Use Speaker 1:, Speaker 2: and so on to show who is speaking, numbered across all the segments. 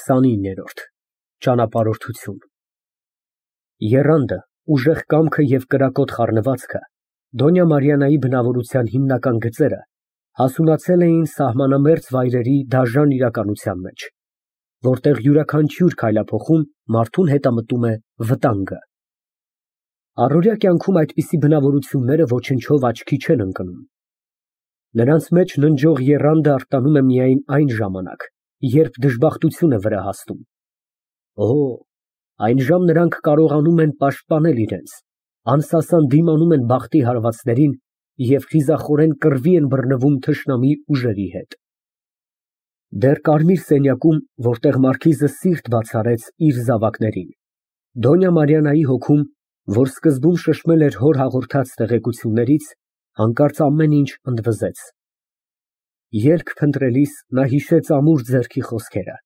Speaker 1: 29։ Ճանապարհորդություն։ Եռանդը, ուժեղ կամքը և կրակոտ խառնվածքը, Դոնյա Մարիաննայի բնավորության հիմնական գծերը, հասունացել էին սահմանամերձ վայրերի դաժան իրականության մեջ, որտեղ յուրաքանչյուր քայլափոխում մարդուն հետամտում է վտանգը։ Առօրյա կյանքում այդպիսի բնավորությունները ոչնչով աչքի չեն ընկնում։ Նրանց մեջ ննջող եռանդը արտանում է միայն այն ժամանակ, երբ դժբախտություն է վրա հասնում։ Օ, այնժամ նրանք կարողանում են պաշտպանել իրենց, անսասան դիմանում են բախտի հարվածներին և խիզախորեն կռվի են բռնվում թշնամի ուժերի հետ։ Դեռ կարմիր սենյակում, որտեղ մարքիզը սիրտ բաց արեց իր զավակներին, Դոնյա Մարիաննայի հոգում, որ սկզբում շշմել էր հոր հաղորդած տեղեկություններից, հանկարծ ամեն ինչ ընդվզեց։ Ելք փնտրելիս նա հիշեց ամուր ձեռքի խոսքերը։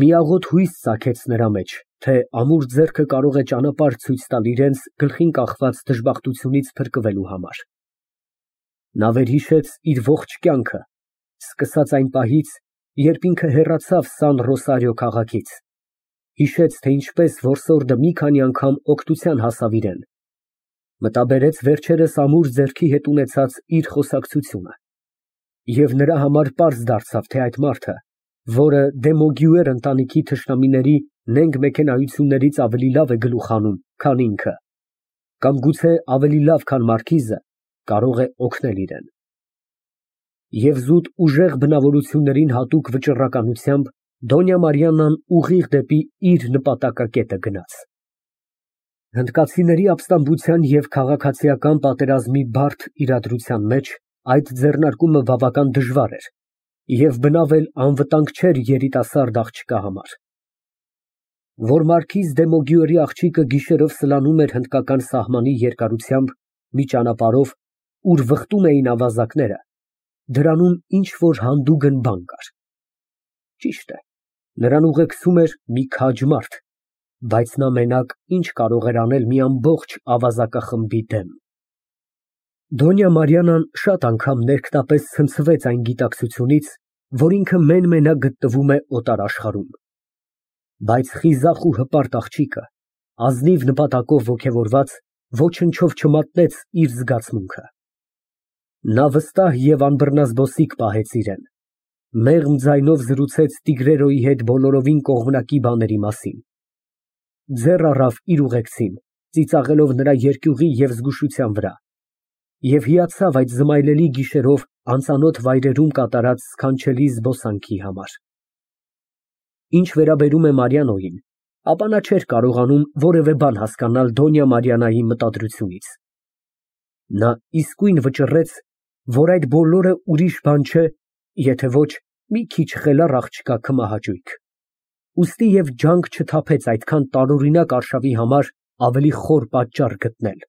Speaker 1: Մի աղոտ հույս ծագեց նրա մեջ, թե ամուր ձեռքը կարող է ճանապարհ ցույց տալ իրենց գլխին կախված դժբախտությունից փրկվելու համար։ Նա վերհիշեց իր ողջ կյանքը, սկսած այն պահից, երբ ինքը հեռացավ Սան Ռոսարիո քաղաքից, հիշեց, թե ինչպես որսորդը մի քանի անգամ օգնության հասավ իրան, մտաբերեց վերջերս ամուր ձեռքի հետ ունեցած իր խոսակցությունը, և նրա համար պարզ դարձավ, թե այդ մարդը, որը Դեմոգյուեր ընտանիքի թշնամիների նենգ մեքենայություններից ավելի լավ է գլուխ հանում, քան ինքը, կամ գուցե ավելի լավ, քան մարքիզը, կարող է օգնել իրան։ Եվ զուտ ուժեղ բնավորություններին հատուկ վճռականությամբ Դոնյա Մարիաննան ուղիղ դեպի իր նպատակակետը գնաց։ Հնդկացիների ապստամբության և քաղաքացիական պատերազմի բարդ իրադրության մեջ այդ ձեռնարկումը բավական դժվար էր և բնավ էլ անվտանգ չէր երիտասարդ աղջկա համար։ Որ մարքիզ Դեմոգյուերի աղջիկը գիշերով սլանում էր հնդկական սահմանի երկարությամբ մի ճանապարհով, ուր վխտում էին ավազակները, դրանում ինչ֊որ հանդուգն բան կար։ Ճիշտ է, նրան ուղեկցում էր մի քաջ մարդ, բայց նա մենակ ինչ կարող էր անել մի ամբողջ ավազակախմբի դեմ։ Դոնյա Մարիաննան շատ անգամ ներքնապես ցնցվեց այն գիտակցությունից, որ ինքը մեն֊մենակ գտնվում է օտար աշխարհում։ Բայց խիզախ ու հպարտ աղջիկը, ազնիվ նպատակով ոգևորված, ոչնչով չմատնեց իր զգացմունքը։ Նա վստահ և անբռնազբոսիկ պահեց իրան, մեղմ ձայնով զրուցեց տիգրերոյի հետ բոլորովին կողմնակի բաների մասին, ձեռ առավ իր ուղեկցին, ծիծաղելով նրա երկյուղի և զգուշության վրա, և հիացավ այդ զմայլելի գիշերով անծանոթ վայրերում կատարած սքանչելի զբոսանքի համար։ Ինչ վերաբերում է Մարիաննային, ապա նա չէր կարողանում որևէ բան հասկանալ Դոնյա Մարիաննայի մտադրությունից։ Նա իսկույն վճռեց, որ այդ բոլորը ուրիշ բան չէ, եթե ոչ մի քիչ խելառ աղջկա քմահաճույք, ուստի և ջանք չթափեց այդքան տարօրինակ արշավի համար ավելի խոր պատճառ գտնել։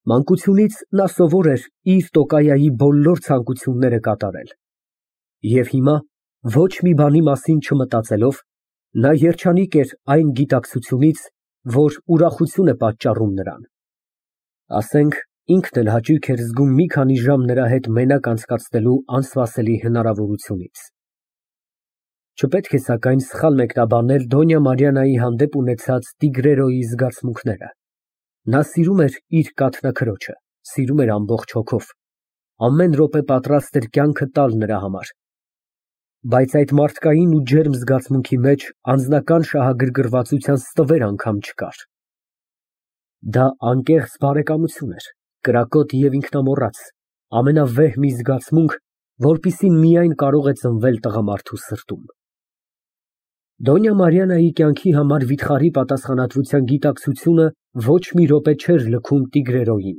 Speaker 1: Մանկությունից նա սովոր էր իր տոկայայի բոլոր ցանկությունները կատարել, և հիմա, ոչ մի բանի մասին չմտածելով, նա երջանիկ էր այն գիտակցությունից, որ ուրախություն է պատճառում նրան։ Ասենք, ինքն էլ հաճույք էր զգում մի քանի ժամ նրա հետ մենակ անցկացնելու անսպասելի հնարավորությունից։ Չպետք է սակայն սխալ մեկնաբանել Դոնյա Մարիաննայի հանդեպ ունեցած տիգրերոյի զգացմունքները։ Նա սիրում էր իր կաթնաքրոջը, սիրում էր ամբողջ հոգով, ամեն րոպե պատրաստ էր կյանքը տալ նրա համար, բայց այդ մարդկային ու ջերմ զգացմունքի մեջ անձնական շահագրգռվածության ստվեր անգամ չկար։ Դա անկեղծ բարեկամություն էր, կրակոտ և ինքնամոռաց, ամենավեհ մի զգացմունք, որպիսին միայն կարող է ծնվել տղամարդու սրտում։ Դոնյա Մարիաննայի կյանքի համար վիթխարի պատասխանատվության գիտակցությունը ոչ մի րոպե չէր լքում տիգրերոյին։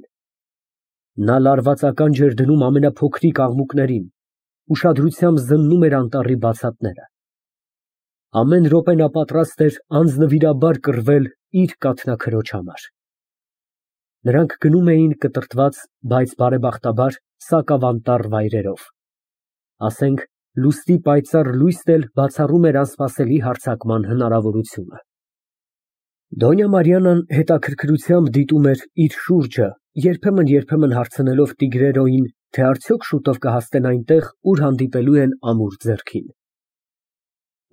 Speaker 1: Նա լարվածականջ էր դնում ամենափոքրիկ աղմուկներին, ուշադրությամբ զննում էր անտառի բացատները։ Ամեն րոպե նա պատրաստ էր անձնվիրաբար կռվել իր կաթնաքրոջ համար։ Նրանք գնում էին կտրտված, բայց բարեբախտաբար սակավանտառ վայրերով, ասենք, լուսնի պայծառ լույսն էլ բացառում էր անսպասելի հարձակման հնարավորությունը։ Դոնյա Մարիաննան հետաքրքրությամբ դիտում էր իր շուրջը, երբեմն հարցնելով տիգրերոյին, թե արդյոք շուտով կհասնեն այնտեղ, ուր հանդիպելու են ամուր ձեռքին։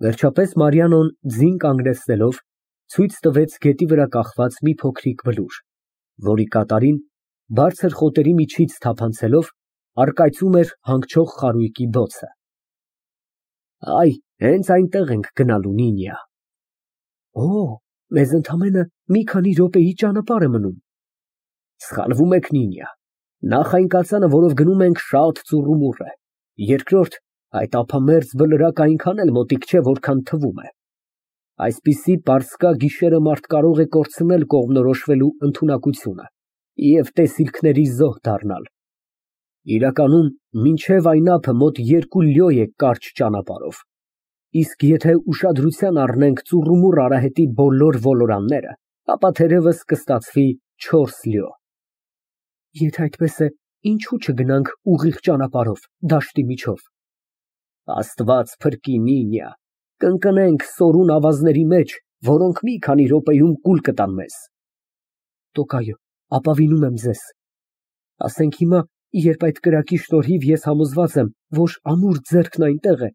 Speaker 1: Վերջապես Մարիանոն ձին կանգնեցնելով ցույց տվեց գետի վրա կախված մի փոքրիկ բլուր, որի կատարին բարձր խոտերի միջից թափանցելով առկայծում էր հանգչող խարույկի բոցը։ Այ, հենց այնտեղ ենք գնալու, Նինիա։ Օ, մեզ ընդամենը մի քանի րոպեի ճանապարհ է մնում։ Սխալվում եք, Նինիա։ Նախ այն կածանը, որով գնում ենք, շատ ծուռումուռ է։ Երկրորդ, այդ ափամերձ բլրակը այնքան էլ մոտիկ չէ, որքան թվում է։ Այսպիսի պարսկա գիշերը մարդ կարող է կորցնել կողմնորոշվելու ընդունակությունը և տեսիլքների զոհ դառնալ։ Իրականում, մինչև այն ափը մոտ 2 լյո է կարճ ճանապարհով, իսկ եթե ուշադրության առնենք ծուռումուռ արահետի բոլոր ոլորանները, ապա թերևս կստացվի 4 լյո։ Եթե այդպես է, ինչու չգնանք ուղիղ ճանապարհով, դաշտի միջով։ Աստված փրկի, Նինիա, կընկնենք սորուն ավազների մեջ, որոնք մի քանի րոպեում կուլ կտան մեզ։ Տոկայո, ապավինում եմ ձեզ։ Ասենք հիմա, երբ այդ կրակի շնորհիվ ես համոզված եմ, որ ամուր ձեռքն այնտեղ է,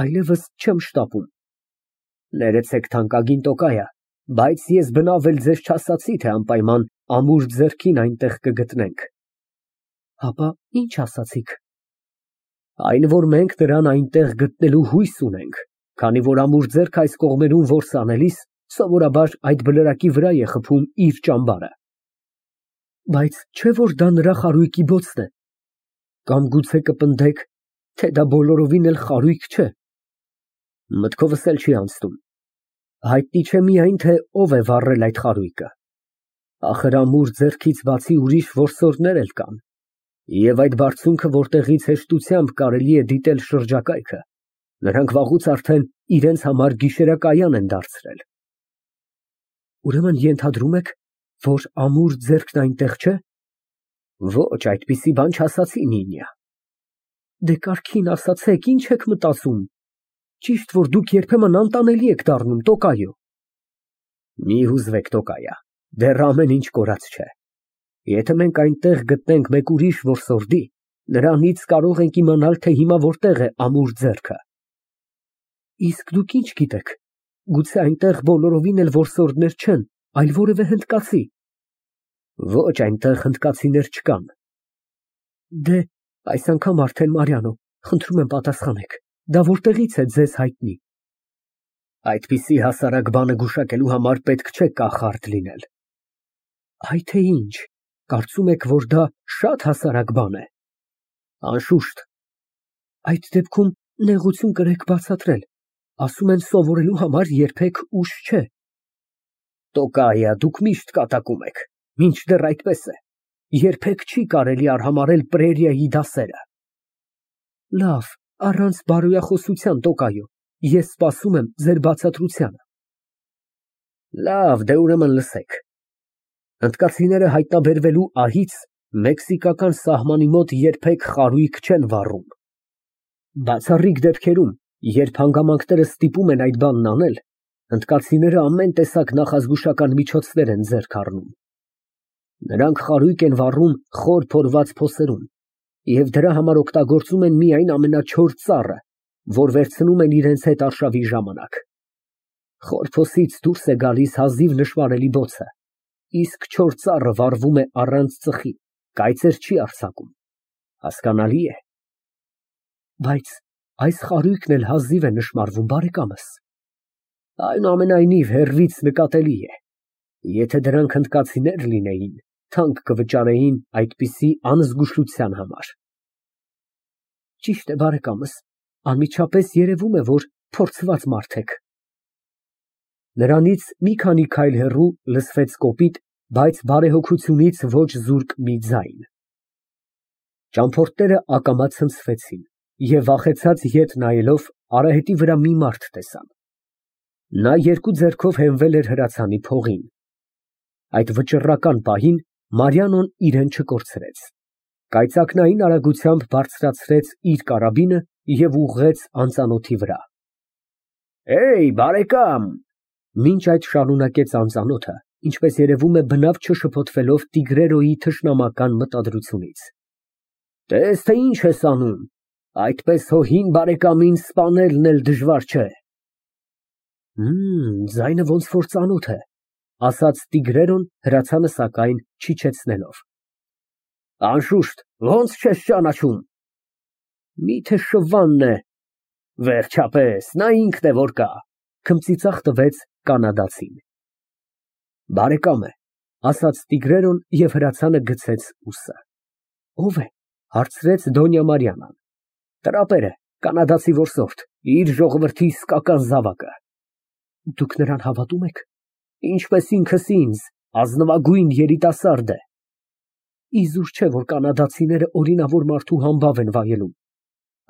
Speaker 1: այլևս չեմ շտապում։ Ներեցեք, թանկագին Տոկայա, բայց ես բնավ էլ ձեզ չասացի, թե անպայման ամուր ձեռքին այնտեղ կգտնենք։ Հապա ինչ ասացիք։ Այն, որ մենք նրան այնտեղ գտնելու հույս ունենք, քանի որ ամուր ձեռք այս կողմերում որս անելիս, սովորաբար այդ բլրակի վրա է խփում իր ճամբարը։ Բայց չէ՞ որ դա նրա խարույկի բոցն է։ Կամ գուցե կպնդեք, թե դա բոլորովին էլ խարույկ չէ։ Մտքովս էլ չի անցնում։ Հայտնի չէ միայն, թե ով է վառել այդ խարույկը։ Ախր ամուր ձեռքից բացի ուրիշ որսորդներ էլ կան, և այդ բարձունքը, որտեղից հեշտությամբ կարելի է դիտել շրջակայքը, նրանք վաղուց արդեն իրենց համար գիշերակայան են դարձրել։ Ուրեմն ենթադրում եք, որ ամուր ձեռքն այնտեղ չէ։ Ոչ, այդպիսի բան չասացի, Նինիա։ Դե կարգին ասացեք, ինչ եք մտածում։ Ճիշտ որ դուք երբեմն անտանելի եք դառնում, Տոկայո։ Մի հուզվեք, Տոկայա, դեռ ամեն ինչ կորած չէ։ Եթե մենք այնտեղ գտնենք մեկ ուրիշ որսորդի, նրանից կարող ենք իմանալ, թե հիմա որտեղ է ամուր ձեռքը։ Իսկ դուք ինչ գիտեք, գուցե այնտեղ բոլորովին էլ որսորդներ չեն, այլ որևէ հնդկացի։ Ոչ, այնտեղ հնդկացիներ չկան։ Դե, այս անգամ արդեն Մարիանո, խնդրում եմ պատասխանեք, դա որտեղից է ձեզ հայտնի։ Այդպիսի հասարակ բանը գուշակելու համար պետք չէ կախարդ լինել։ Այ թե ինչ, կարծում եք, որ դա շատ հասարակ բան է։ Անշուշտ։ Այդ դեպքում նեղություն կրեք բացատրել, ասում են սովորելու համար երբեք ուշ չէ։ Տոկայա, դուք միշտ կատակում եք, մինչդեռ այդպես է, երբեք չի կարելի արհամարհել պրերիայի դասերը։ Լավ, առանց բարոյախոսության, Տոկայո, ես սպասում եմ ձեր բացատրությանը։ Լավ, դե ուրեմն լսեք։ Հնդկացիները հայտնաբերվելու ահից մեքսիկական սահմանի մոտ երբեք խարույկ չեն վառում։ Բացառիկ դեպքերում, երբ հանգամանքները ստիպում են այդ բանն անել, հնդկացիները ամեն տեսակ նախազգուշական միջոցներ են ձեռք առնում։ Նրանք խարույկ են վառում խոր փորված փոսերում և դրա համար օգտագործում են միայն ամենաչոր ծառը, որ վերցնում են իրենց հետ արշավի ժամանակ։ Խոր փոսից դուրս է գալիս հազիվ նշմարելի բոցը, իսկ չոր ծառը վառվում է առանց ծխի, կայծեր չի արձակում։ Հասկանալի է։ Բայց այս խարույկն էլ հազիվ է նշմարվում, բարեկամս։ Այնուամենայնիվ հեռվից նկատելի է։ Եթե դրանք հնդկացիներ լինեին, թանկ կվճարեին այդպիսի անզգուշության համար։ Ճիշտ է, բարեկամս, անմիջապես երևում է, որ փորձված մարդ եք։ Նրանից մի քանի քայլ հեռու լսվեց կոպիտ, բայց բարեհոգությունից ոչ զուրկ մի ձայն։ Ճամփորդները ակամա ցնցվեցին և վախեցած ետ նայելով արահետի վրա մի մարդ տեսան։ Նա երկու ձեռքով հենվել էր հրացանի փողին։ Այդ վճռական պահին Մարիանոն իրեն չկորցրեց։ Կայծակնային արագությամբ բարձրացրեց իր կարաբինը և ուղղեց անծանոթի վրա։ Էյ, բարեկամ։ Մինչ այդ շարունակեց անծանոթը, ինչպես երևում է բնավ չշփոթվելով տիգրերոյի թշնամական մտադրությունից։ Տես, թե ինչ ես անում, այդպես հո հին բարեկամին սպանելն էլ դժվար չէ։ Ձայնը ոնց որ ծանոթ է, ասաց Տիգրերոն հրացանը սակայն չիջեցնելով։ Անշուշտ, ոնց չես ճանաչում։ Միթե Շվանն է։ Վերջապես, նա ինքն է որ կա, քմծիծաղ տվեց կանադացին։ Բարեկամ է, ասաց Տիգրերոն և հրացանը գցեց ուսը։ Ո՞վ է, հարցրեց Դոնյա Մարիանան։ Տրապեր է, կանադացի որսորդ, իր ժողովրդի իսկական զավակը։ Դուք նրան հավատում եք։ Ինչպես ինքս ինձ, ազնվագույն երիտասարդ է։ Իզուր չէ, որ կանադացիները օրինավոր մարդու համբավ են վայելում։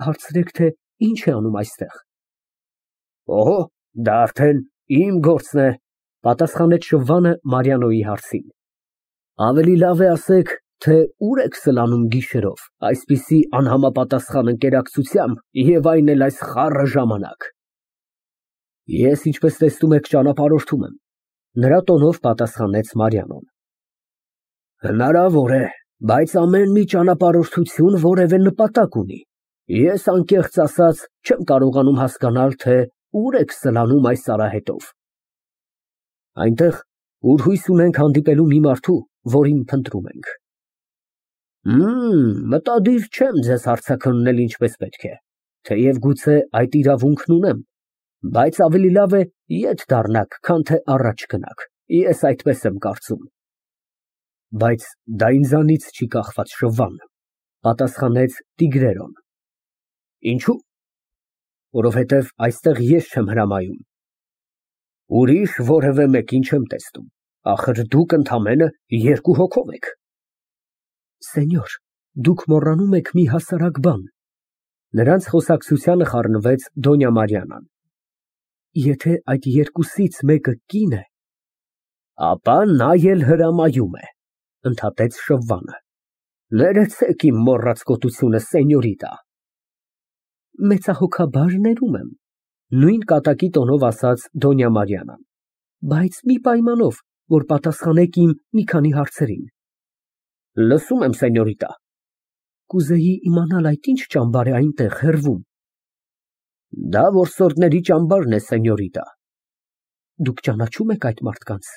Speaker 1: Հարցրեք, թե ինչ է անում այստեղ։ Օհո, դա արդեն իմ գործն է, պատասխանեց Շվանը Մարիանոյի հարցին։ Ավելի լավ է ասեք, թե ուր եք սլանում գիշերով, այսպիսի անհամապատասխան ընկերակցությամբ և այն էլ այս խառը ժամանակ։ Ես, ինչպես տեսնում եք, ճանապարհորդում եմ, նրա տոնով պատասխանեց Մարիանոն։ Հնարավոր է, բայց ամեն մի ճանապարհորդություն որևէ նպատակ ունի։ Ես անկեղծ ասած չեմ կարողանում հասկանալ, թե ուր եք սլանում այս արահետով։ Այնտեղ, ուր հույս ունենք հանդիպելու մի մարդու, որին փնտրում ենք։ Մտադիր չեմ ձեզ հարցաքննել ինչպես պետք է, թեև գուցե այդ իրավունքն ունեմ, բայց ավելի լավ է ետ դառնաք, քան թե առաջ գնաք, ես այդպես եմ կարծում։ Բայց դա ինձանից չի կախված, Շվան, պատասխանեց Տիգրերոն։ Ինչու՞։ Որովհետև այստեղ ես չեմ հրամայում։ Ուրիշ որևէ մեկին չեմ տեսնում, ախր դուք ընդամենը 2 հոգով եք։ Սենյոր, դուք մոռանում եք մի հասարակ բան։ Նրանց խոսակցությանը խառնվեց Դոնյա Մարիանան։ Եթե այդ երկուսից մեկը կին է, ապա նա էլ հրամայում է, ընդհատեց Շվանը։ Ներեցեք իմ մոռաց կոտությունը, սենյորիտա։ Մեծահոգաբար ներում եմ, նույն կատակի տոնով ասաց Դոնյա Մարիանան, բայց մի պայմանով, որ պատասխանեք իմ մի քանի հարցերին։ Լսում եմ, սենյորիտա։ Կուզեի իմանալ այդ ինչ ճամբար է այնտեղ հեռվում։ Դա որսորդների ճամբարն է, սենյորիտա։ Դուք ճանաչում եք այդ մարդկանց։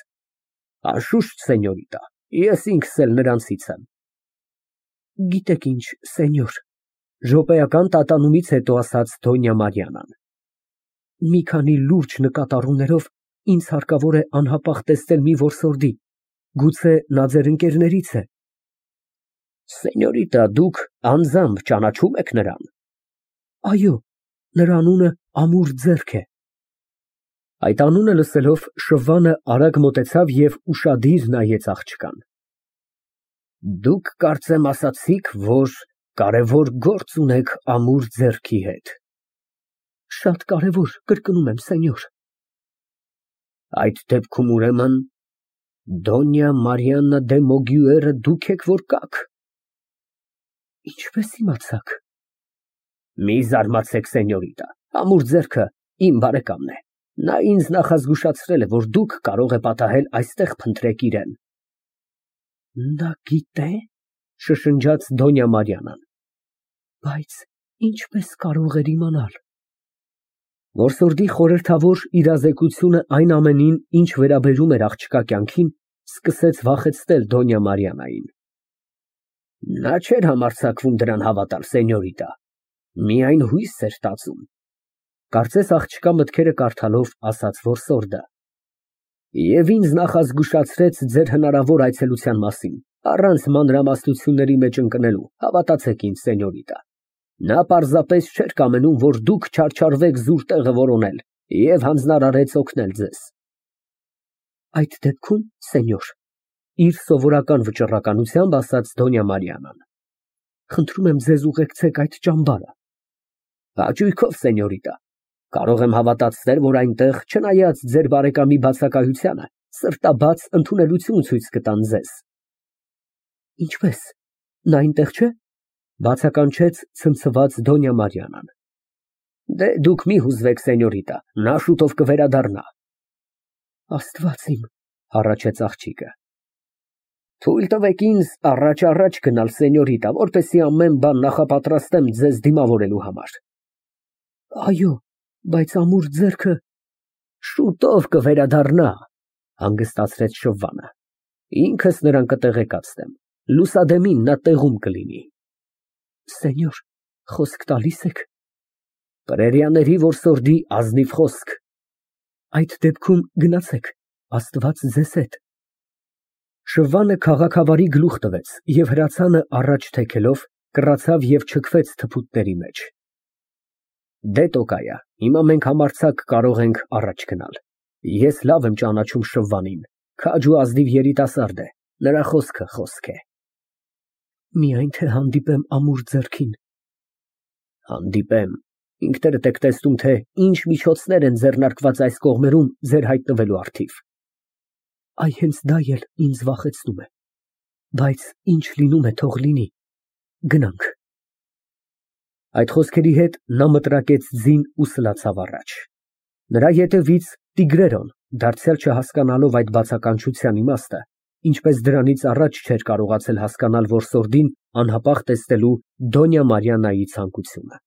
Speaker 1: Անշուշտ, սենյորիտա, ես ինքս էլ նրանցից եմ։ Գիտեք ինչ, սենյոր, րոպեական տատանումից հետո ասաց Դոնյա Մարիանան։ Մի քանի լուրջ նկատառումներով ինձ հարկավոր է անհապաղ տեսնել մի որսորդի, գուցե նա ձեր ընկերներից է։ Սենյորիտա, դուք անձամբ ճանաչում եք նրան։ Այո, նրա անունը Ամուր ձեռք է։ Այդ անունը լսելով Շվանը արագ մոտեցավ և ուշադիր նայեց աղջկան։ Դուք կարծեմ ասացիք, որ կարևոր գործ ունեք Ամուր ձեռքի հետ։ Շատ կարևոր, կրկնում եմ, սենյոր։ Այդ դեպքում ուրեմն Դոնյա Մարիաննա դե Մոգյուերը դուք եք որ կաք։ Ինչպես իմացաք։ Մի զարմացեք, սենյորիտա, Ամուր ձեռքը իմ բարեկամն է։ Նա ինձ նախազգուշացրել է, որ դուք կարող եք պատահել այստեղ փնտրեք իրեն։ Նա գիտե՞, շշնջաց Դոնյա Մարիանան։ Բայց ինչպես կարող էր իմանալ։ Որսորդի խորհրդավոր իրազեկությունը այն ամենին, ինչ վերաբերում էր աղջկա կյանքին, սկսեց վախեցնել Դոնյա Մարիանային։ Նա չէր համարձակվում դրան հավատալ, սենյորիտա, միայն հույս էր տածում, կարծես աղջկա մտքերը կարդալով ասաց որսորդը։ Եվ ինձ նախազգուշացրեց ձեր հնարավոր այցելության մասին, առանց մանրամասնությունների մեջ ընկնելու, հավատացեք ինձ, սենյորիտա։ Նա պարզապես չէր կամենում, որ դուք չարչարվեք զուր տեղը որոնել և հանձնարարեց օգնել ձեզ։ Այդ դեպքում, սենյոր, իր սովորական վճռականությամբ ասաց Դոնյա Մարիանան, խնդրում եմ ձեզ ուղեկցեք այդ ճամբարը։ Հաճույքով, սենյորիտա, կարող եմ հավատացնել, որ այնտեղ, չնայած ձեր բարեկամի բացակայությանը, սրտաբաց ընդունելություն ցույց կտան ձեզ։ Ինչպես, նա այնտեղ չէ, բացականչեց ցնցված Դոնյա Մարիանան։ Դե դուք մի հուզվեք, սենյորիտա, նա շուտով կվերադառնա։ Աստված իմ, հառաչեց աղջիկը։ Թույլ տվեք ինձ առաջ գնալ, սենյորիտա, որպեսզի ամեն բան նախապատրաստեմ ձեզ դիմավորելու համար։ Այո, բայց Ամուր ձեռքը։ Շուտով կվերադառնա, հանգստացրեց Շվվանը։ Ինքս նրան կտեղեկացնեմ, լուսադեմին նա տեղում կլինի։ Սենյոր, խոսք տալիս եք։ Պրերիաների որսորդի ազնիվ խոսք։ Այդ դեպքում գնացեք, Աստված ձեզ հետ։ Շվվանը քաղաքավարի գլուխ տվեց և հրացանը առաջ թեքելով կռացավ և չքվեց թփուտների մեջ։ Դե Տոկայա, հիմա մենք համարձակ կարող ենք առաջ գնալ։ Ես լավ եմ ճանաչում Շվվանին, քաջ ու ազնիվ երիտասարդ է, նրա խոսքը խոսք է։ Միայն թե հանդիպեմ ամուր ձեռքին։ Հանդիպեմ, ինքներդ եք տեսնում, թե ինչ միջոցներ են ձեռնարկված այս կողմերում ձեր հայտնվելու առթիվ։ Այ հենց դա էլ ինձ վախեցնում է։ Բայց ինչ լինում է, թող լինի։ Գնանք։ Այդ խոսքերի հետ նա մտրակեց ձին ու սլացավ առաջ։ Նրա ետևից Տիգրերոն, դարձյալ չհասկանալով այդ բացականչության իմաստը, ինչպես դրանից առաջ չէր կարողացել հասկանալ որսորդին անհապաղ տեսնելու Դոնյա Մարիաննայի ցանկությունը։